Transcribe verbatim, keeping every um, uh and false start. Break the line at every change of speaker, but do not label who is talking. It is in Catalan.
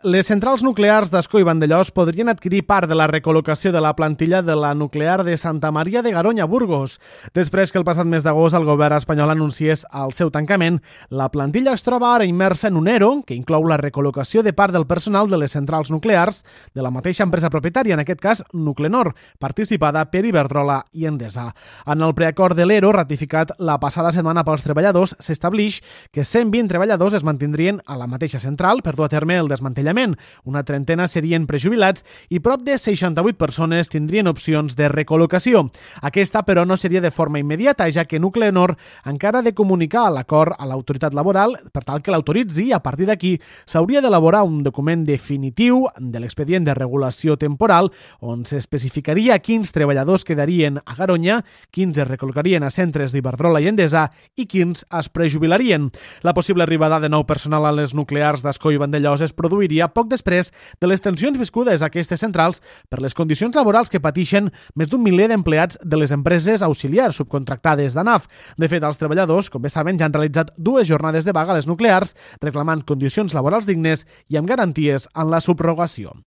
Les centrals nuclears d'Ascó i Vandellòs podrien adquirir part de la recol·locació de la plantilla de la nuclear de Santa Maria de Garoña, Burgos. Després que el passat mes d'agost el govern espanyol anunciés el seu tancament, la plantilla es troba ara immersa en un ERO que inclou la recol·locació de part del personal de les centrals nuclears de la mateixa empresa propietària, en aquest cas Nuclenor, participada per Iberdrola i Endesa. En el preacord de l'ERO, ratificat la passada setmana pels treballadors, s'establix que cent vint treballadors es mantindrien a la mateixa central per dur a terme el desmantellament. Una trentena serien prejubilats i prop de seixanta-vuit persones tindrien opcions de recol·locació. Aquesta, però, no seria de forma immediata, ja que Nuclenor encara ha de comunicar l'acord a l'autoritat laboral per tal que l'autoritzi i a partir d'aquí s'hauria d'elaborar un document definitiu de l'expedient de regulació temporal on s'especificaria quins treballadors quedarien a Garoña, quins es recol·locarien a centres d'Iberdrola i Endesa i quins es prejubilarien. La possible arribada de nou personal a les nuclears d'Ascó i Vandellòs es produiria poc després de les tensions viscudes a aquestes centrals per les condicions laborals que pateixen més d'un miler d'empleats de les empreses auxiliars subcontractades d'ANAF. De fet, els treballadors, com bé saben, ja han realitzat dues jornades de vaga a les nuclears reclamant condicions laborals dignes i amb garanties en la subrogació.